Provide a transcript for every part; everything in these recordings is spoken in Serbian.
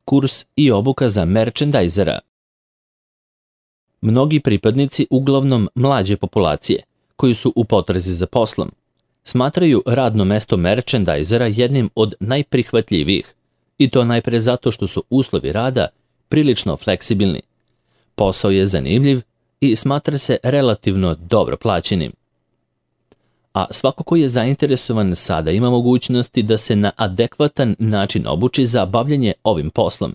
kurs i obuka za merchandisera. Mnogi pripadnici uglavnom mlađe populacije, koji su u potrazi za poslom, smatraju radno mesto merchandisera jednim od najprihvatljivijih, i to najpre zato što su uslovi rada prilično fleksibilni. Posao je zanimljiv i smatra se relativno dobro plaćenim. A svako ko je zainteresovan sada ima mogućnosti da se na adekvatan način obuči za bavljanje ovim poslom,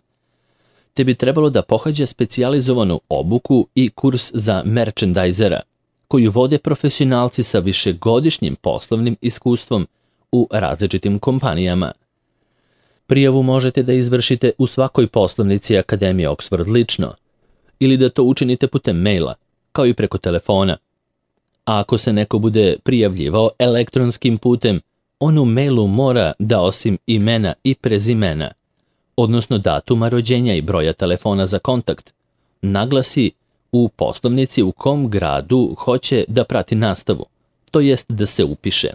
te bi trebalo da pohađa specijalizovanu obuku i kurs za merchandisera, koju vode profesionalci sa višegodišnjim poslovnim iskustvom u različitim kompanijama. Prijavu možete da izvršite u svakoj poslovnici Akademije Oxford lično, ili da to učinite putem maila, kao i preko telefona. A ako se neko bude prijavljivao elektronskim putem, on u mailu mora da osim imena i prezimena, odnosno datuma rođenja i broja telefona za kontakt, naglasi u poslovnici u kom gradu hoće da prati nastavu, to jest da se upiše.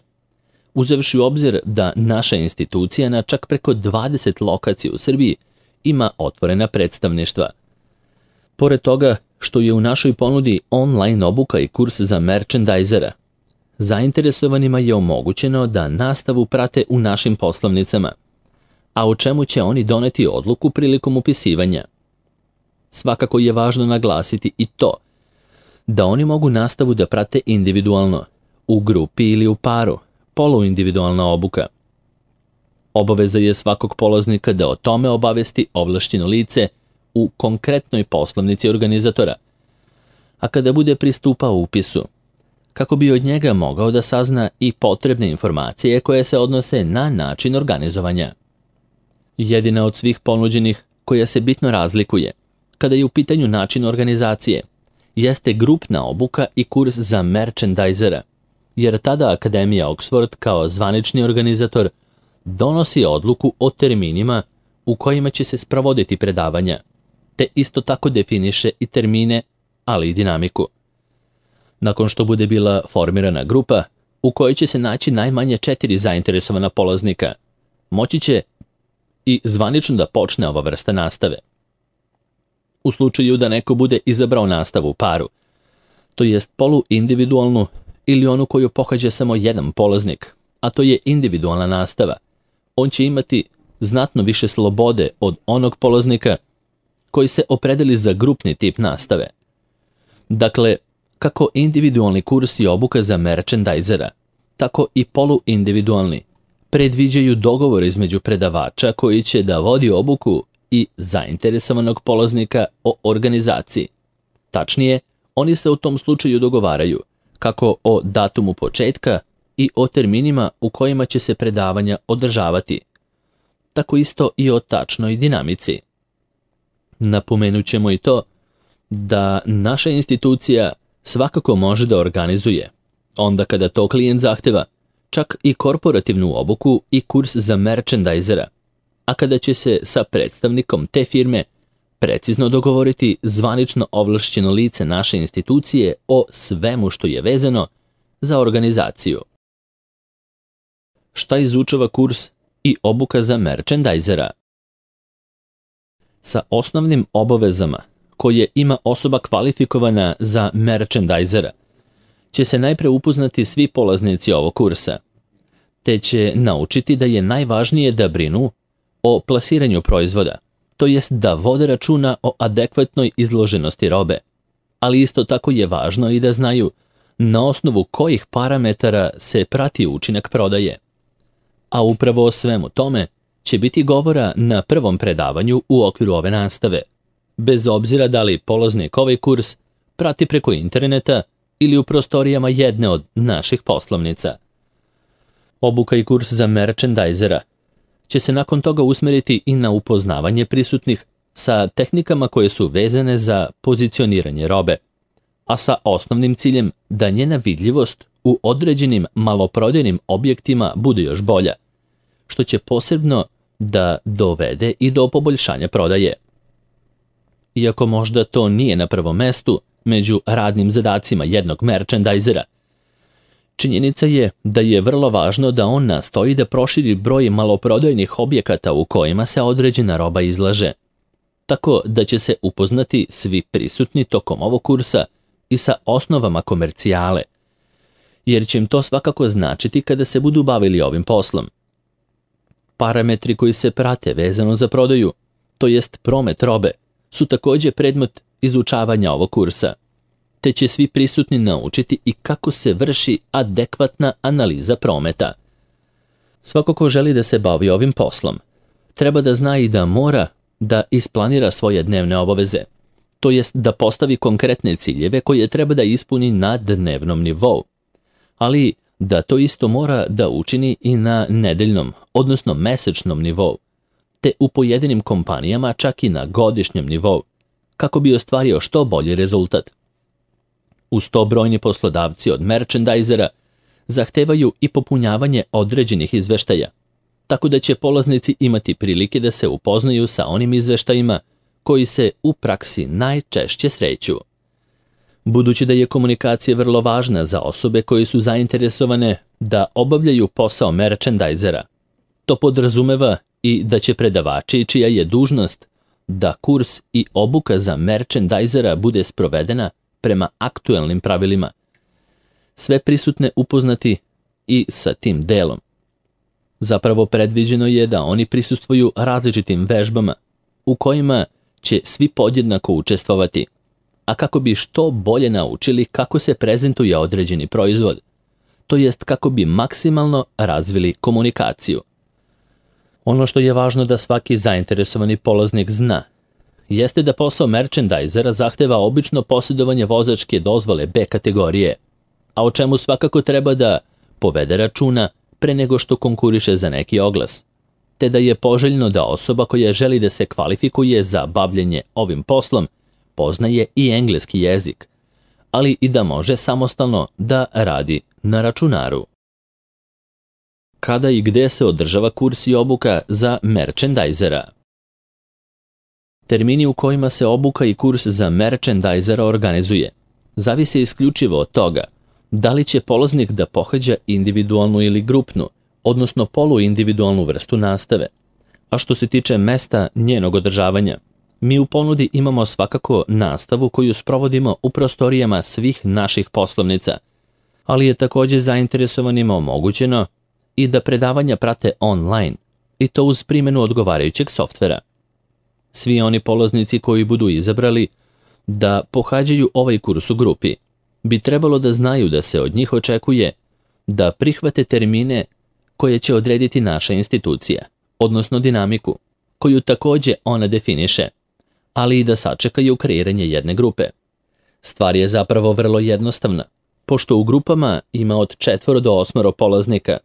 Uzevši u obzir da naša institucija na čak preko 20 lokacija u Srbiji ima otvorena predstavništva. Pored toga što je u našoj ponudi online obuka i kurs za merchandisera, zainteresovanima je omogućeno da nastavu prate u našim poslovnicama, a o čemu će oni doneti odluku prilikom upisivanja. Svakako je važno naglasiti i to da oni mogu nastavu da prate individualno, u grupi ili u paru, poluindividualna obuka. Obaveza je svakog polaznika da o tome obavesti ovlašćeno lice u konkretnoj poslovnici organizatora, a kada bude pristupao upisu, kako bi od njega mogao da sazna i potrebne informacije koje se odnose na način organizovanja. Jedina od svih ponuđenih koja se bitno razlikuje, kada je u pitanju način organizacije, jeste grupna obuka i kurs za merchandisera, jer tada Akademija Oxford kao zvanični organizator donosi odluku o terminima u kojima će se sprovoditi predavanja, te isto tako definiše i termine, ali i dinamiku. Nakon što bude bila formirana grupa, u kojoj će se naći najmanje 4 zainteresovana polaznika, moći će i zvanično da počne ova vrsta nastave. U slučaju da neko bude izabrao nastavu u paru, to jest poluindividualnu ili onu koju pohađa samo jedan polaznik, a to je individualna nastava, on će imati znatno više slobode od onog polaznika koji se opredeli za grupni tip nastave. Dakle, kako individualni kurs i obuka za merchandisera, tako i poluindividualni predviđaju dogovor između predavača koji će da vodi obuku i zainteresovanog polaznika o organizaciji. Tačnije, oni se u tom slučaju dogovaraju kako o datumu početka i o terminima u kojima će se predavanja održavati, tako isto i o tačnoj dinamici. Napomenut ćemo i to da naša institucija svakako može da organizuje, onda kada to klijent zahteva, čak i korporativnu obuku i kurs za merchandisera, a kada će se sa predstavnikom te firme precizno dogovoriti zvanično ovlašćeno lice naše institucije o svemu što je vezano za organizaciju. Šta izučava kurs i obuka za merchandisera? Sa osnovnim obavezama koje ima osoba kvalifikovana za merchandisera će se najpre upoznati svi polaznici ovog kursa, te će naučiti da je najvažnije da brinu o plasiranju proizvoda, to jest da vode računa o adekvatnoj izloženosti robe, ali isto tako je važno i da znaju na osnovu kojih parametara se prati učinak prodaje. A upravo o svemu tome će biti govora na prvom predavanju u okviru ove nastave, bez obzira da li polaznik ovaj kurs prati preko interneta ili u prostorijama jedne od naših poslovnica. Obuka i kurs za merchandisera će se nakon toga usmeriti i na upoznavanje prisutnih sa tehnikama koje su vezane za pozicioniranje robe, a sa osnovnim ciljem da njena vidljivost u određenim maloprodajnim objektima bude još bolja, što će posebno da dovede i do poboljšanja prodaje. Iako možda to nije na prvom mestu među radnim zadacima jednog merchandisera, činjenica je da je vrlo važno da on nastoji da proširi broj maloprodajnih objekata u kojima se određena roba izlaže, tako da će se upoznati svi prisutni tokom ovog kursa i sa osnovama komercijale, jer će im to svakako značiti kada se budu bavili ovim poslom. Parametri koji se prate vezano za prodaju, to jest promet robe, su također predmet izučavanja ovog kursa, te će svi prisutni naučiti i kako se vrši adekvatna analiza prometa. Svako ko želi da se bavi ovim poslom, treba da zna i da mora da isplanira svoje dnevne obaveze, to jest da postavi konkretne ciljeve koje treba da ispuni na dnevnom nivou, ali da to isto mora da učini i na nedeljnom, odnosno mesečnom nivou, te u pojedinim kompanijama čak i na godišnjem nivou, kako bi ostvario što bolji rezultat. Uz to brojni poslodavci od merchandisera zahtevaju i popunjavanje određenih izveštaja, tako da će polaznici imati prilike da se upoznaju sa onim izveštajima koji se u praksi najčešće sreću. Budući da je komunikacija vrlo važna za osobe koje su zainteresovane da obavljaju posao merchandisera, to podrazumeva i da će predavači čija je dužnost da kurs i obuka za merchandisera bude sprovedena prema aktuelnim pravilima, sve prisutne upoznati i sa tim delom. Zapravo predviđeno je da oni prisustvuju različitim vežbama u kojima će svi podjednako učestvovati, a kako bi što bolje naučili kako se prezentuje određeni proizvod, to jest kako bi maksimalno razvili komunikaciju. Ono što je važno da svaki zainteresovani polaznik zna, jeste da posao merchandisera zahteva obično posjedovanje vozačke dozvole B kategorije, a o čemu svakako treba da povede računa pre nego što konkuriše za neki oglas, te da je poželjno da osoba koja želi da se kvalifikuje za bavljenje ovim poslom poznaje i engleski jezik, ali i da može samostalno da radi na računaru. Kada i gde se održava kurs i obuka za merchandisera? Termini u kojima se obuka i kurs za merchandisera organizuje zavise isključivo od toga da li će polaznik da pohađa individualnu ili grupnu, odnosno poluindividualnu vrstu nastave. A što se tiče mesta njenog održavanja, mi u ponudi imamo svakako nastavu koju sprovodimo u prostorijama svih naših poslovnica, ali je također zainteresovanima omogućeno i da predavanja prate online, i to uz primjenu odgovarajućeg softvera. Svi oni polaznici koji budu izabrali da pohađaju ovaj kurs u grupi bi trebalo da znaju da se od njih očekuje da prihvate termine koje će odrediti naša institucija, odnosno dinamiku, koju također ona definiše, ali i da sačekaju kreiranje jedne grupe. Stvar je zapravo vrlo jednostavna, pošto u grupama ima od 4 do 8 polaznika,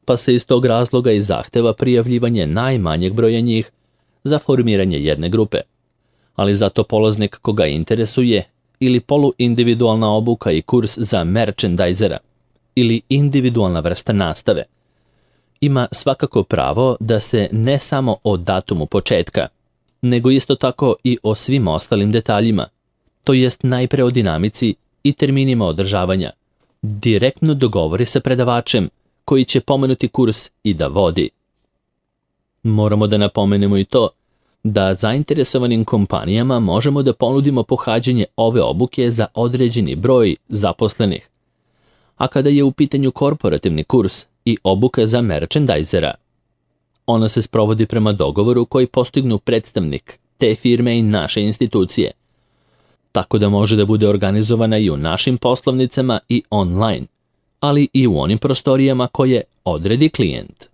pa se iz tog razloga i zahteva prijavljivanje najmanjeg broja njih za formiranje jedne grupe. Ali zato polaznik koga interesuje ili poluindividualna obuka i kurs za merchandisera ili individualna vrsta nastave ima svakako pravo da se ne samo o datumu početka, nego isto tako i o svim ostalim detaljima, to jest najpre o dinamici i terminima održavanja, direktno dogovori sa predavačem koji će pomenuti kurs i da vodi. Moramo da napomenemo i to da zainteresovanim kompanijama možemo da ponudimo pohađanje ove obuke za određeni broj zaposlenih. A kada je u pitanju korporativni kurs i obuka za merchandisera, ona se sprovodi prema dogovoru koji postignu predstavnik te firme i naše institucije, tako da može da bude organizovana i u našim poslovnicama i online, ali i u onim prostorijama koje odredi klijent.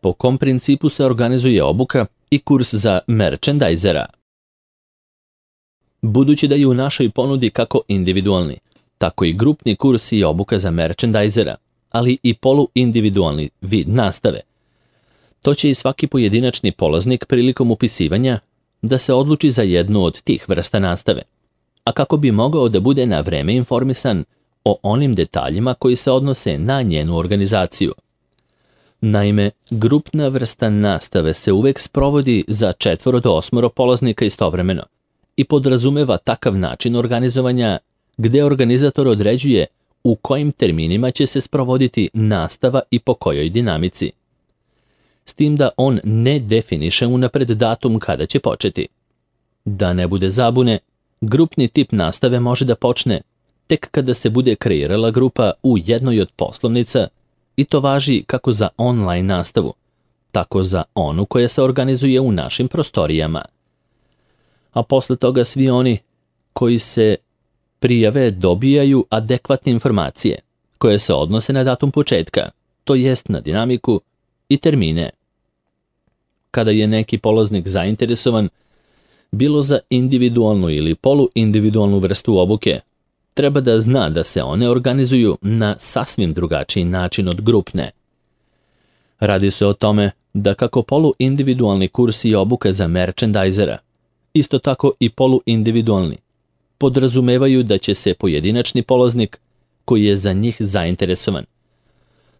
Po kom principu se organizuje obuka i kurs za merchandisera? Budući da je u našoj ponudi kako individualni, tako i grupni kurs i obuka za merchandisera, ali i poluindividualni vid nastave, to će i svaki pojedinačni polaznik prilikom upisivanja da se odluči za jednu od tih vrsta nastave, a kako bi mogao da bude na vreme informisan o onim detaljima koji se odnose na njenu organizaciju. Naime, grupna vrsta nastave se uvek sprovodi za 4 do 8 polaznika istovremeno i podrazumeva takav način organizovanja gde organizator određuje u kojim terminima će se sprovoditi nastava i po kojoj dinamici. s tim da on ne definiše unapred datum kada će početi. Da ne bude zabune, grupni tip nastave može da počne tek kada se bude kreirala grupa u jednoj od poslovnica i to važi kako za online nastavu, tako za onu koja se organizuje u našim prostorijama. A posle toga svi oni koji se prijave dobijaju adekvatne informacije koje se odnose na datum početka, to jest na dinamiku i termine. Kada je neki polaznik zainteresovan, bilo za individualnu ili poluindividualnu vrstu obuke, treba da zna da se one organizuju na sasvim drugačiji način od grupne. Radi se o tome da kako poluindividualni kurs i obuka za merchandisera, isto tako i poluindividualni, podrazumevaju da će se pojedinačni polaznik, koji je za njih zainteresovan,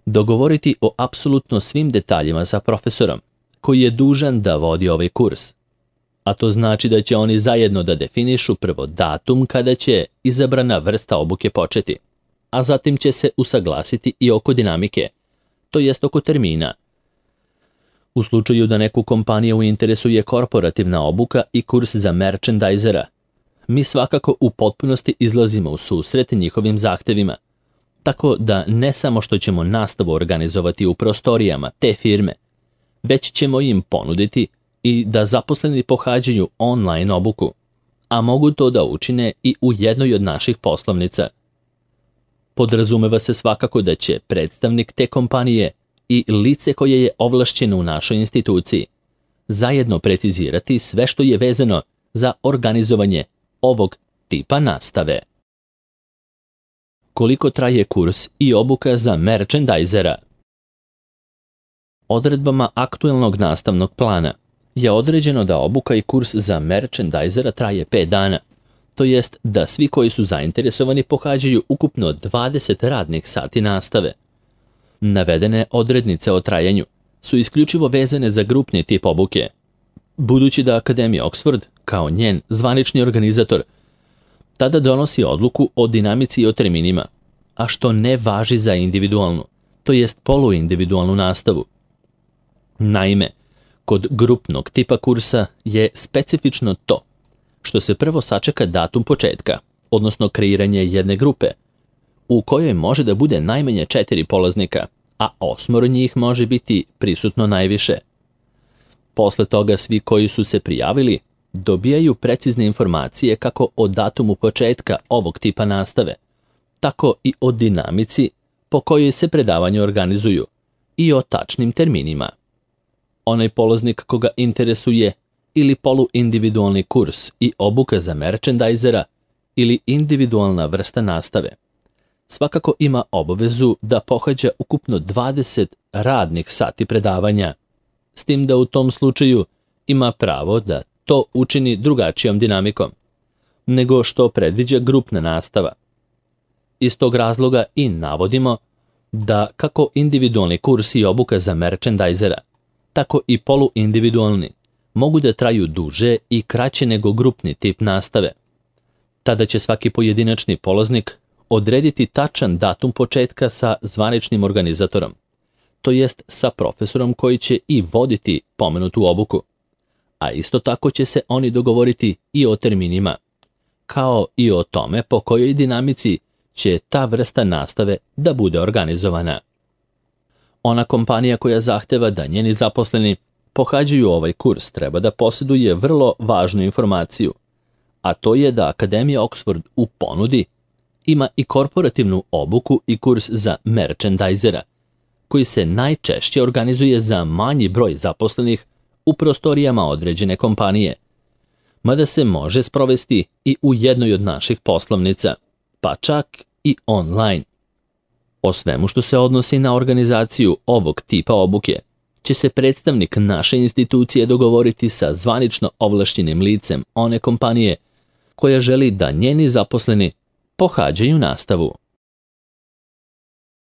dogovoriti o apsolutno svim detaljima sa profesorom, koji je dužan da vodi ovaj kurs. A to znači da će oni zajedno da definišu prvo datum kada će izabrana vrsta obuke početi, a zatim će se usaglasiti i oko dinamike, to jest oko termina. U slučaju da neku kompaniju interesuje korporativna obuka i kurs za merchandisera, mi svakako u potpunosti izlazimo u susret njihovim zahtevima, tako da ne samo što ćemo nastavu organizovati u prostorijama te firme, već ćemo im ponuditi i da zaposleni pohađaju online obuku, a mogu to da učine i u jednoj od naših poslovnica. Podrazumeva se svakako da će predstavnik te kompanije i lice koje je ovlašćeno u našoj instituciji zajedno precizirati sve što je vezano za organizovanje ovog tipa nastave. Koliko traje kurs i obuka za merchandisera? Odredbama aktuelnog nastavnog plana je određeno da obuka i kurs za merchandisera traje 5 dana, to jest da svi koji su zainteresovani pohađaju ukupno 20 radnih sati nastave. Navedene odrednice o trajanju su isključivo vezane za grupni tip obuke, budući da Akademija Oxford, kao njen zvanični organizator, tada donosi odluku o dinamici i o terminima, a što ne važi za individualnu, to jest poluindividualnu nastavu. Naime, kod grupnog tipa kursa je specifično to što se prvo sačeka datum početka, odnosno kreiranje jedne grupe, u kojoj može da bude najmanje 4 polaznika, a 8 njih može biti prisutno najviše. Posle toga svi koji su se prijavili dobijaju precizne informacije kako o datumu početka ovog tipa nastave, tako i o dinamici po kojoj se predavanje organizuju i o tačnim terminima. Onaj polaznik koga interesuje ili poluindividualni kurs i obuka za merchandisera ili individualna vrsta nastave, svakako ima obavezu da pohađa ukupno 20 radnih sati predavanja, s tim da u tom slučaju ima pravo da to učini drugačijom dinamikom, nego što predviđa grupna nastava. Iz tog razloga i navodimo da kako individualni kurs i obuka za merchandisera, tako i poluindividualni mogu da traju duže i kraće nego grupni tip nastave. Tada će svaki pojedinačni polaznik odrediti tačan datum početka sa zvaničnim organizatorom, to jest sa profesorom koji će i voditi pomenutu obuku, a isto tako će se oni dogovoriti i o terminima, kao i o tome po kojoj dinamici će ta vrsta nastave da bude organizovana. Ona kompanija koja zahteva da njeni zaposleni pohađaju ovaj kurs treba da posjeduje vrlo važnu informaciju, a to je da Akademija Oxford u ponudi ima i korporativnu obuku i kurs za merchandisera, koji se najčešće organizuje za manji broj zaposlenih u prostorijama određene kompanije, mada se može sprovesti i u jednoj od naših poslovnica, pa čak i online. O svemu što se odnosi na organizaciju ovog tipa obuke će se predstavnik naše institucije dogovoriti sa zvanično ovlašćenim licem one kompanije koja želi da njeni zaposleni pohađaju nastavu.